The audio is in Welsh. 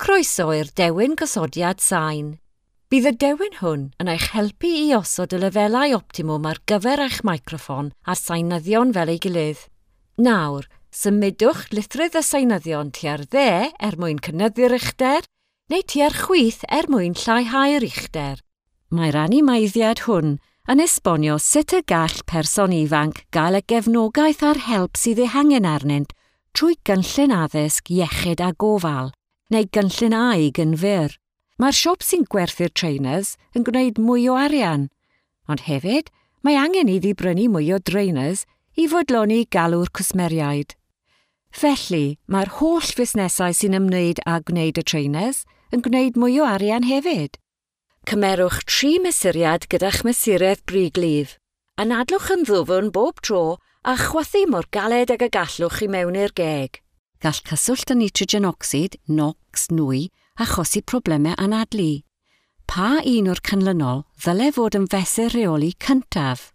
Croeso i'r dewin gosodiad sain. Bydd y dewin hwn yn eich helpu i osod y lefelau optimwm ar gyfer eich microffon a'r sainyddion fel ei gilydd. Nawr, symudwch lithrydd y sainyddion tua'r dde er mwyn cynyddu'r uchder, neu tua'r chwith er mwyn lleihau'r uchder. Mae'r animeiddiad hwn yn esbonio sut y gall person ifanc gael y gefnogaeth a'r help sydd ei hangen arnynt trwy gynllun addysg iechyd a gofal, neu gynllun AIG yn fyr. Mae'r siop sy'n gwerthu'r trainers yn gwneud mwy o arian, ond hefyd mae angen iddi brynu mwy o drainers i fodloni galw'r cwsmeriaid. Felly, mae'r holl fusnesau sy'n ymwneud â gwneud y trainers yn gwneud mwy o arian hefyd. Cymerwch 3 mesuriad gyda'ch mesuredd briglif. Anadlwch yn ddwfn bob tro a chwythu mor galed ag y gallwch i mewn i'r geg. Gall cyswllt y nitrogen ocsid, NOx, nwy, achosi problemau anadlu. Pa un o'r canlynol ddyle fod yn fesur rheoli cyntaf?